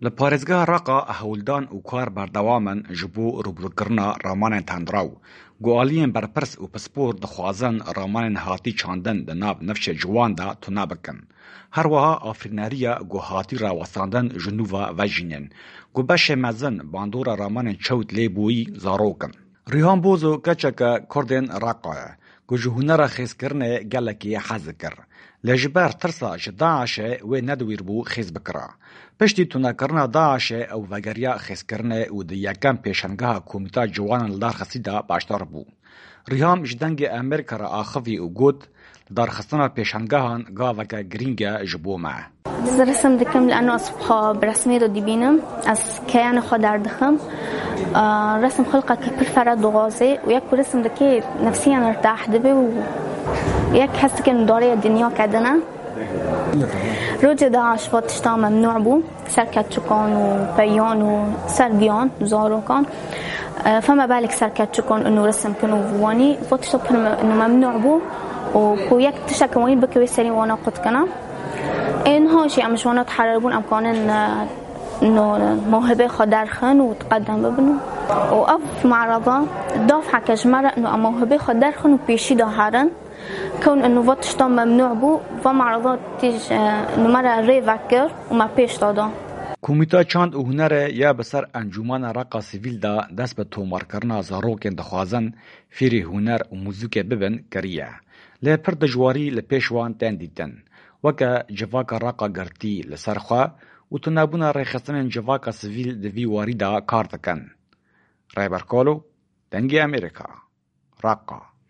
Li parêzgeha Reqa hewldan û kar berdewam in ji bo rûbirûkirina ramanên tendrew ku aliyên berpirs û pispor dixwazin ramanên hatî çandin di nav nifşê ciwan de tune bikin. Her wiha afirîneriya ku hatî rawestandin ji nû ve vejînin ku beşê mezin bandora ramanên çewt lê bûyî zarok in. Rîhan Bozo keçeke Kurdên Reqa ye ku ji hunera xêzkirinê gelekî hez dikir. Lê ji ber tirsa ji DAIŞ'ê wê nediwîrbû xêz bikira. Piştî tunekirina DAIŞ'ê ew vegeriya xêzkirinê û di yekem pêşengeha Komîta Ciwanan li dar xistî de beşdar bû. Rîham ji Dengê Amerîka re axivî û got, Lidarxistina pêşangehan gaveke girîng e ji bo me. Ez resim dikim lano ez xwe bi resmê de dibînim, ez keyanê xwe derdixim. Resim xulqeke pir fere dixwaze û yek ku resim dike nefsiyen irtah dibe û yek hes dike darêya dinya kedine. Rojê DAIŞ va tişta memnû bû. Ser keçikan û peyan û ser giyan zarokan. Fema belek ser keçikan û resim kin û wanî va tişta pir memnû bû û ku yek tişteke wanî bike wê serî wana qut kena. Ê niha jî em ji wana teherer bûn em kanin mewhibê xwe derxin û teqedem bibin û ev merada dafeke ji me re em mewhibê xwe derxin û pêşî de herin. Kewn û va tişta memnû bû, va merada tîj me re rê vekir û me pêş da da. Komîta Çand û Hunerê ya bi ser Encûmena Reqa Sivîl de dest bi tomarkirina zarokên dixwazin fêrî huner û muzîkê bibin kiriye. Lê pir dijwarî li pêş wan tên dîtin. Weke civaka Reqa girtî li ser xwe û tunebûna rêxistinên civaka sivîl di vî warî de kar dikin. Rêber Kalo, Dengê Amerîka, Reqa.